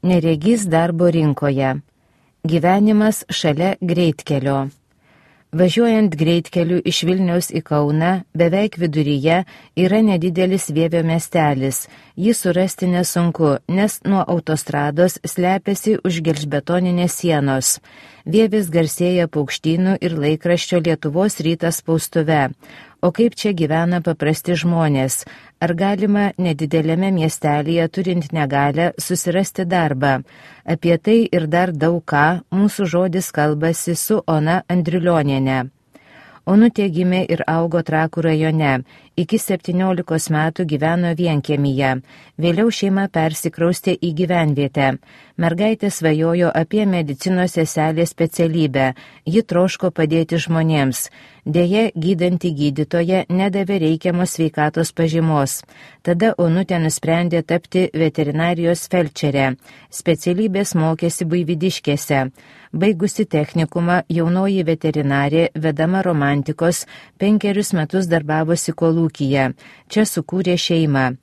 Neregys darbo rinkoje. Gyvenimas šalia greitkelio. Važiuojant greitkeliu iš Vilniaus į Kauną, beveik viduryje yra nedidelis Vievio miestelis. Jį surasti nesunku, nes nuo autostrados slepiasi už gelžbetoninės sienos. Vievis garsėja paukštynų ir laikraščio Lietuvos rytas spaustuve. O kaip čia gyvena paprasti žmonės? Ar galima nedidelėme miestelėje turint negalią susirasti darbą? Apie tai ir dar daug ką mūsų žodis kalbasi su Ona Andriulioniene. Onutė gimė ir augo Trakų rajone. Iki 17 metų gyveno vienkiemyje. Vėliau šeima persikraustė į gyvenvietę. Mergaitė svajojo apie medicinos seselės specialybę. Ji troško padėti žmonėms. Deja, gydanti gydytoja nedavė reikiamos sveikatos pažymos. Tada Onutė nusprendė tapti veterinarijos felčerė. Specialybės mokėsi Buivydiškėse. Baigusi technikumą, jaunoji veterinarė, vedama romantikos, 5 metus darbavosi kolūkyje. Čia sukūrė šeimą.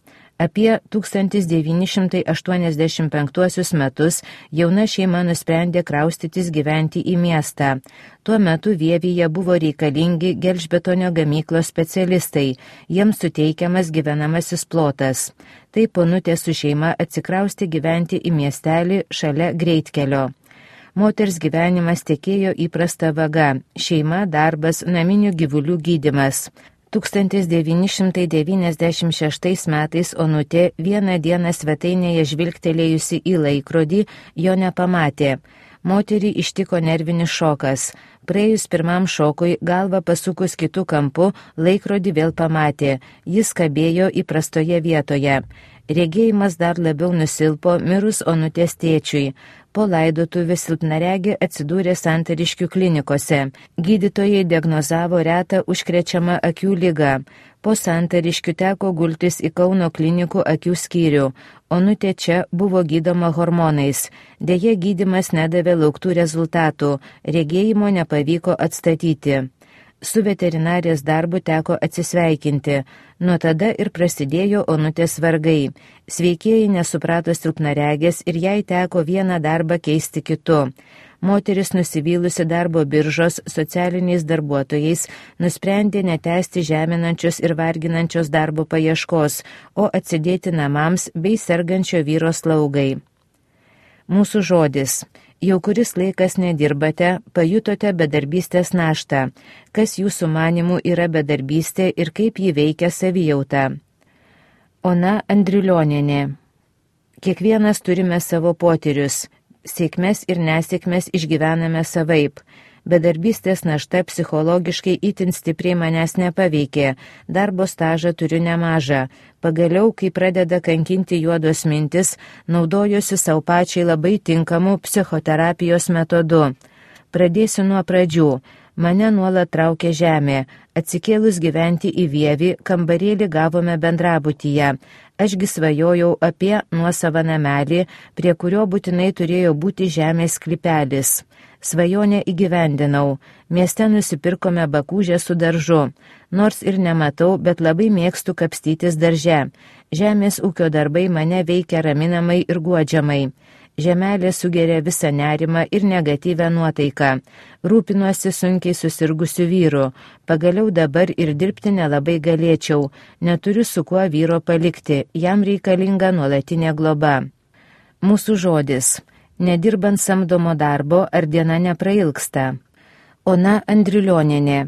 Apie 1985 metus jauna šeima nusprendė kraustytis gyventi į miestą. Tuo metu Vievyje buvo reikalingi gelžbetonio gamyklos specialistai, jiems suteikiamas gyvenamasis plotas. Taip Onutė su šeima atsikraustė gyventi į miestelį šalia greitkelio. Moters gyvenimas tekėjo įprasta vaga – šeima, darbas, naminių gyvulių gydymas. 1996 metais Onutė vieną dieną svetainėje žvilgtelėjusi į laikrodį jo nepamatė. Moterį ištiko nervinis šokas. Praėjus pirmam šokui, galvą pasukus kitų kampų, laikrodį vėl pamatė. Jis kabėjo įprastoje vietoje. Regėjimas dar labiau nusilpo mirus Onutės tėčiui. Po laidotuvių silpnaregė atsidūrė Santariškių klinikose. Gydytojai diagnozavo retą užkrečiamą akių ligą. Po Santariškių teko gultis į Kauno klinikų akių skyrių. Onutė čia buvo gydoma hormonais. Deja, gydymas nedavė lauktų rezultatų. Regėjimo nepavyko atstatyti. Su veterinarės darbu teko atsisveikinti. Nuo tada ir prasidėjo Onutės vargai. Sveikieji nesuprato silpnaregės ir jai teko vieną darbą keisti kitu. Moteris, nusivylusi darbo biržos socialiniais darbuotojais, nusprendė netęsti žeminančios ir varginančios darbo paieškos, o atsidėti namams bei sergančio vyro slaugai. Mūsų žodis. Jau kuris laikas nedirbate, pajutote bedarbystės naštą. Kas jūsų manimų yra bedarbystė ir kaip ji veikia savijautą? Ona Andriulionienė. Kiekvienas turime savo potyrius. Sėkmes ir nesėkmes išgyvename savaip. Bedarbystės našta psichologiškai itin stipriai manęs nepaveikė. Darbo stažą turiu nemažą. Pagaliau, kai pradeda kankinti juodos mintis, naudojuosi savo pačiai labai tinkamu psichoterapijos metodu. Pradėsiu nuo pradžių. Mane nuolat traukė žemė. Atsikėlus gyventi į Vievį, kambarėlį gavome bendrabutyje. Ašgi svajojau apie nuosavą namelį, prie kurio būtinai turėjo būti žemės sklypelis. Svajonę įgyvendinau. Mieste nusipirkome bakūžę su daržu. Nors ir nematau, bet labai mėgstu kapstytis darže. Žemės ūkio darbai mane veikia raminamai ir guodžiamai. Žemelė sugeria visą nerimą ir negatyvę nuotaiką. Rūpinuosi sunkiai susirgusiu vyru. Pagaliau dabar ir dirbti nelabai galėčiau. Neturiu su kuo vyro palikti. Jam reikalinga nuolatinė globa. Mūsų žodis. Nedirbant samdomo darbo, ar diena neprailgsta. Ona Andriulionienė.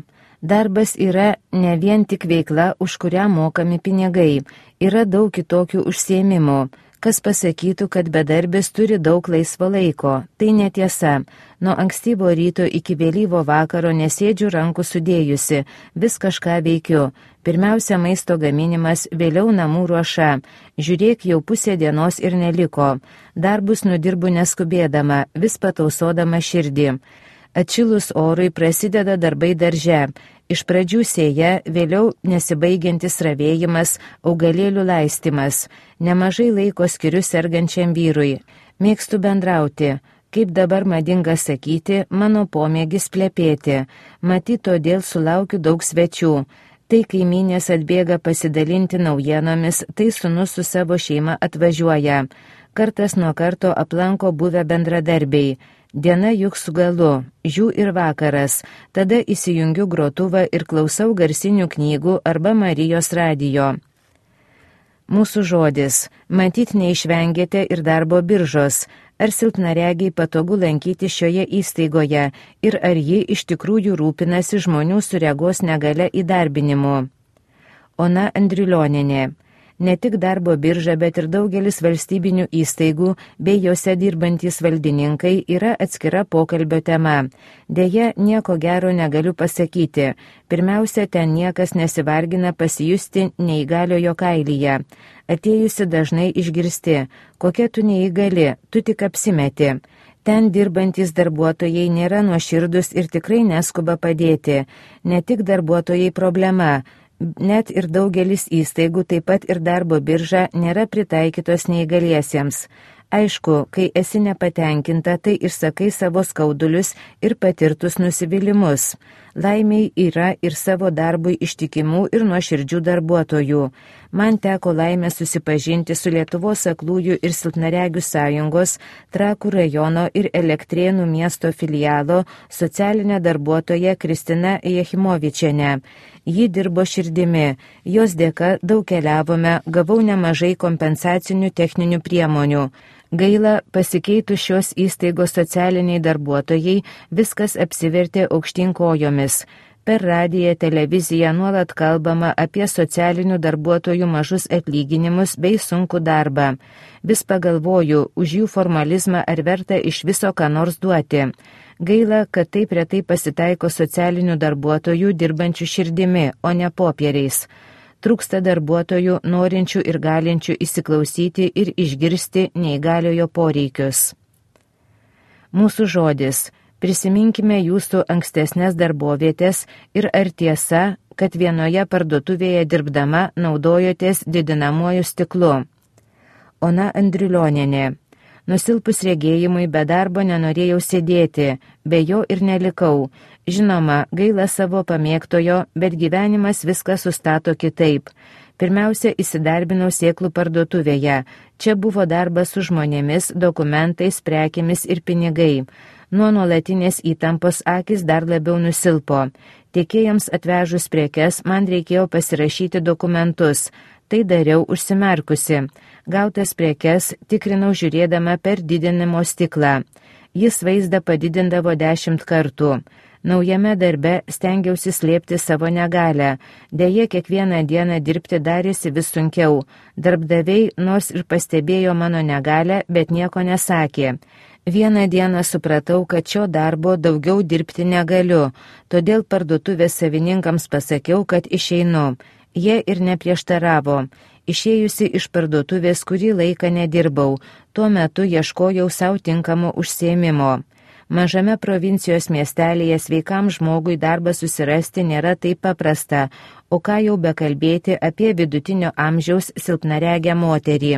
Darbas yra ne vien tik veikla, už kurią mokami pinigai. Yra daug kitokių užsiėmimų. Kas pasakytų, kad bedarbis turi daug laisvo laiko? Tai netiesa. Nuo ankstyvo ryto iki vėlyvo vakaro nesėdžiu rankų sudėjusi, vis kažką veikiu. Pirmiausia maisto gaminimas, vėliau namų ruoša. Žiūrėk, jau pusė dienos ir neliko. Darbus nudirbu neskubėdama, vis patausodama širdį. Atšilus orui prasideda darbai darže. Iš pradžių sėja, vėliau nesibaigiantis ravėjimas, augalėlių laistymas. Nemažai laiko skiriu sergančiam vyrui. Mėgstu bendrauti. Kaip dabar madinga sakyti, mano pomėgis plepėti. Matyt, todėl sulaukiu daug svečių. Tai kaimynės atbėga pasidalinti naujienomis, tai sūnus su savo šeima atvažiuoja. Kartas nuo karto aplanko buvę bendradarbiai. Diena juk su galu, jų ir vakaras, tada įsijungiu grotuvą ir klausau garsinių knygų arba Marijos radijo. Mūsų žodis. Matyt, neišvengėte ir darbo biržos. Ar silpnaregiai patogu lankyti šioje įstaigoje ir ar ji iš tikrųjų rūpinasi žmonių su regos negale įdarbinimu? Ona Andriulionienė. Ne tik darbo birža, bet ir daugelis valstybinių įstaigų bei jose dirbantys valdininkai yra atskira pokalbio tema. Deja, nieko gero negaliu pasakyti. Pirmiausia, ten niekas nesivargina pasijusti neįgaliojo kailyje. Atėjusi dažnai išgirsti, kokia tu neįgali, tu tik apsimeti. Ten dirbantys darbuotojai nėra nuoširdus ir tikrai neskuba padėti. Ne tik darbuotojai problema. Net ir daugelis įstaigų, taip pat ir darbo birža, nėra pritaikytos neįgaliesiems. Aišku, kai esi nepatenkinta, tai išsakai savo skaudulius ir patirtus nusivylimus. Laimiai yra ir savo darbui ištikimų ir nuoširdžių darbuotojų. Man teko laimė susipažinti su Lietuvos aklųjų ir silpnaregių sąjungos, Trakų rajono ir Elektrėnų miesto filialo socialinė darbuotoja Kristina Jechimovičienė. Ji dirbo širdimi, jos dėka daug keliavome, gavau nemažai kompensacinių techninių priemonių. Gaila, pasikeitus šios įstaigos socialiniai darbuotojai, viskas apsivertė aukštyn kojomis. Per radiją, televiziją nuolat kalbama apie socialinių darbuotojų mažus atlyginimus bei sunkų darbą. Vis pagalvoju, už jų formalizmą ar verta iš viso ką nors duoti. Gaila, kad taip retai pasitaiko socialinių darbuotojų dirbančių širdimi, o ne popieriais. Trūksta darbuotojų, norinčių ir galinčių įsiklausyti ir išgirsti neįgaliojo poreikius. Mūsų žodis. Prisiminkime jūsų ankstesnės darbovietės ir ar tiesa, kad vienoje parduotuvėje dirbdama naudojotės didinamuoju stiklu. Ona Andriulionienė. Nusilpus regėjimui be darbo nenorėjau sėdėti, be jo ir nelikau. Žinoma, gaila savo pamėgtojo, bet gyvenimas viską sustato kitaip. Pirmiausia, įsidarbinau sėklų parduotuvėje. Čia buvo darbas su žmonėmis, dokumentais, prekėmis ir pinigai. Nuo nuolatinės įtampos akis dar labiau nusilpo. Tiekėjams atvežus prekes man reikėjo pasirašyti dokumentus. Tai dariau užsimerkusi. Gautas prekes tikrinau žiūrėdama per didinimo stiklą. Jis vaizdą padidindavo 10 kartų. Naujame darbe stengiausi slėpti savo negalę. Deja, kiekvieną dieną dirbti darėsi vis sunkiau. Darbdaviai nors ir pastebėjo mano negalę, bet nieko nesakė. Vieną dieną supratau, kad šio darbo daugiau dirbti negaliu, todėl parduotuvės savininkams pasakiau, kad išeinu. Jie ir neprieštaravo. Išėjusi iš parduotuvės kurį laiką nedirbau, tuo metu ieškojau savo tinkamo užsiėmimo. Mažame provincijos miestelėje sveikam žmogui darbą susirasti nėra taip paprasta, o ką jau bekalbėti apie vidutinio amžiaus silpnaregę moterį.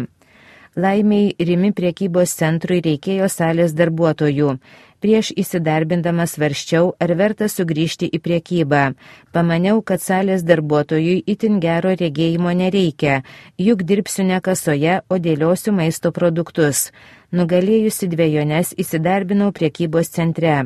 Laimiai Rimi prekybos centrui reikėjo salės darbuotojų. Prieš įsidarbindamas svarsčiau, ar verta sugrįžti į prekybą. Pamaniau, kad salės darbuotojui itin gero regėjimo nereikia, juk dirbsiu ne kasoje, o dėliosiu maisto produktus. Nugalėjusi dvejones įsidarbinau prekybos centre.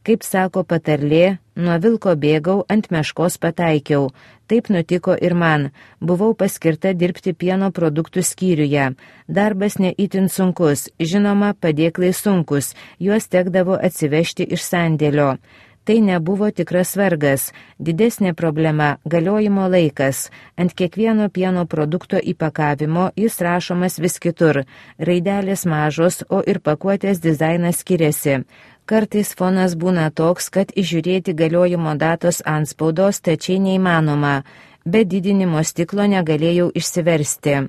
Kaip sako patarlė, nuo vilko bėgau, ant meškos pataikiau. Taip nutiko ir man. Buvau paskirta dirbti pieno produktų skyriuje. Darbas ne itin sunkus, žinoma, padėklai sunkus, juos tekdavo atsivežti iš sandėlio. Tai nebuvo tikras vargas. Didesnė problema – galiojimo laikas. Ant kiekvieno pieno produkto įpakavimo jis rašomas vis kitur. Raidelės mažos, o ir pakuotės dizainas skiriasi. Kartais fonas būna toks, kad įžiūrėti galiojimo datos antspaudos tačiai neįmanoma. Be didinimo stiklo negalėjau išsiversti.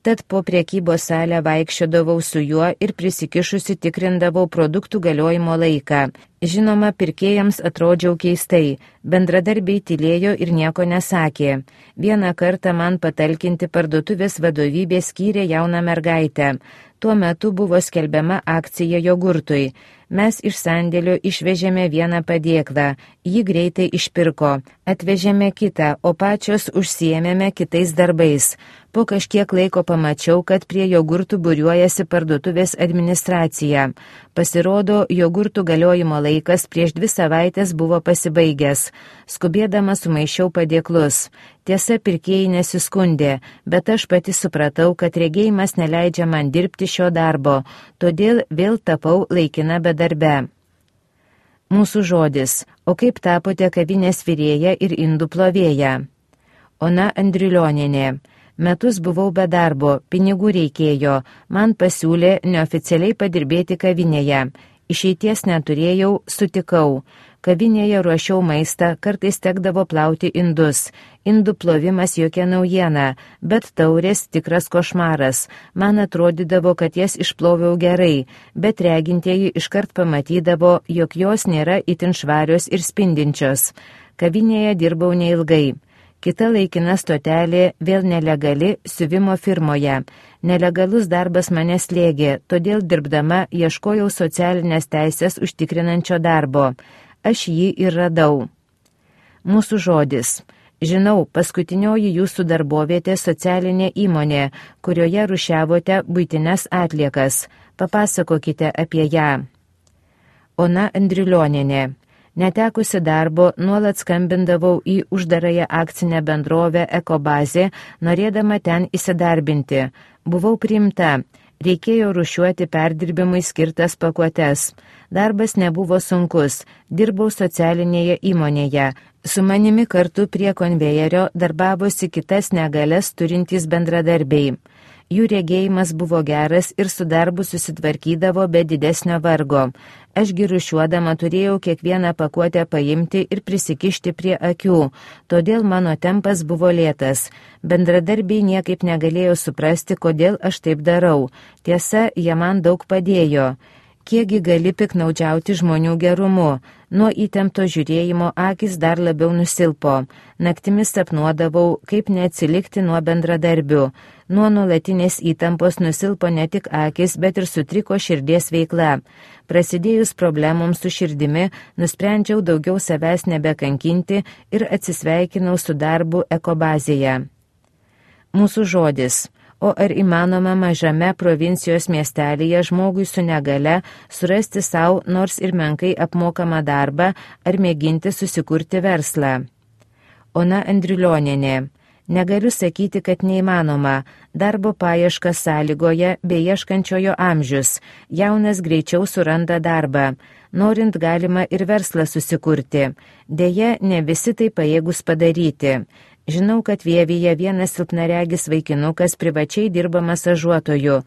Tad po prekybos salę vaikščiodavau su juo ir prisikišusi tikrindavau produktų galiojimo laiką. Žinoma, pirkėjams atrodžiau keistai, bendradarbiai tylėjo ir nieko nesakė. Vieną kartą man patalkinti parduotuvės vadovybė skyrė jauną mergaitę. Tuo metu buvo skelbiama akcija jogurtui. Mes iš sandėlio išvežėme vieną padėklą, jį greitai išpirko, atvežėme kitą, o pačios užsiėmėme kitais darbais. Po kažkiek laiko pamačiau, kad prie jogurtų būriuojasi parduotuvės administracija. Pasirodo, jogurtų galiojimo laikas prieš 2 savaitės buvo pasibaigęs. Skubėdama sumaišiau padėklus. Tiesa, pirkėjai nesiskundė, bet aš pati supratau, kad regėjimas neleidžia man dirbti šio darbo, todėl vėl tapau laikina bedarbe. Mūsų žodis. O kaip tapote kavinės virėja ir indų plovėja? Ona Andriulionienė. Metus buvau be darbo, pinigų reikėjo, man pasiūlė neoficialiai padirbėti kavinėje. Išeities neturėjau, sutikau. Kavinėje ruošiau maistą, kartais tekdavo plauti indus. Indų plovimas jokia naujiena, bet taurės tikras košmaras. Man atrodydavo, kad jas išploviau gerai, bet regintieji iškart pamatydavo, jog jos nėra itin švarios ir spindinčios. Kavinėje dirbau neilgai. Kita laikina stotelė vėl nelegali siuvimo firmoje. Nelegalus darbas mane slėgė, todėl dirbdama ieškojau socialinės teisės užtikrinančio darbo. Aš jį ir radau. Mūsų žodis. Žinau, paskutinioji jūsų darbovietė socialinė įmonė, kurioje rušiavote buitines atliekas. Papasakokite apie ją. Ona Andriulionienė. Netekusi darbo, nuolat skambindavau į uždarąją akcinę bendrovę Ekobazė, norėdama ten įsidarbinti. Buvau priimta. Reikėjo rušiuoti perdirbimui skirtas pakuotes. Darbas nebuvo sunkus. Dirbau socialinėje įmonėje. Su manimi kartu prie konvejerio darbavosi kitas negalias turintys bendradarbiai. Jų regėjimas buvo geras ir su darbu susitvarkydavo be didesnio vargo. Ašgi rušiuodama turėjau kiekvieną pakuotę paimti ir prisikišti prie akių, todėl mano tempas buvo lėtas. Bendradarbiai niekaip negalėjo suprasti, kodėl aš taip darau. Tiesa, jie man daug padėjo. Kiekgi gali piknaudžiauti žmonių gerumu? Nuo įtempto žiūrėjimo akis dar labiau nusilpo. Naktimis sapnuodavau, kaip neatsilikti nuo bendradarbių. Nuo nuolatinės įtampos nusilpo ne tik akis, bet ir sutriko širdies veikla. Prasidėjus problemoms su širdimi, nusprendžiau daugiau savęs nebekankinti ir atsisveikinau su darbu Ekobazėje. Mūsų žodis. O ar įmanoma mažame provincijos miestelėje žmogui su negale surasti savo nors ir menkai apmokamą darbą ar mėginti susikurti verslą? Ona Andriulionienė. Negaliu sakyti, kad neįmanoma. Darbo paieška sąlygoje bei ieškančiojo amžius. Jaunas greičiau suranda darbą. Norint galima ir verslą susikurti. Deja, ne visi tai pajėgus padaryti. Žinau, kad Vievyje vienas silpnaregis vaikinukas privačiai dirba masažuotoju.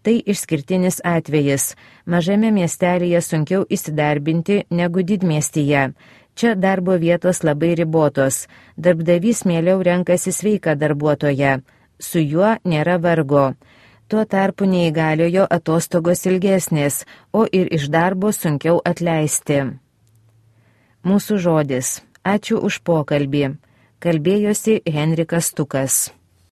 Tai išskirtinis atvejis. Mažame miestelėje sunkiau įsidarbinti negu didmiestyje. Čia darbo vietos labai ribotos. Darbdavys mieliau renkasi sveiką darbuotoją. Su juo nėra vargo. Tuo tarpu neįgaliojo atostogos ilgesnės, o ir iš darbo sunkiau atleisti. Mūsų žodis. Ačiū už pokalbį. Kalbėjosi Henrikas Stukas.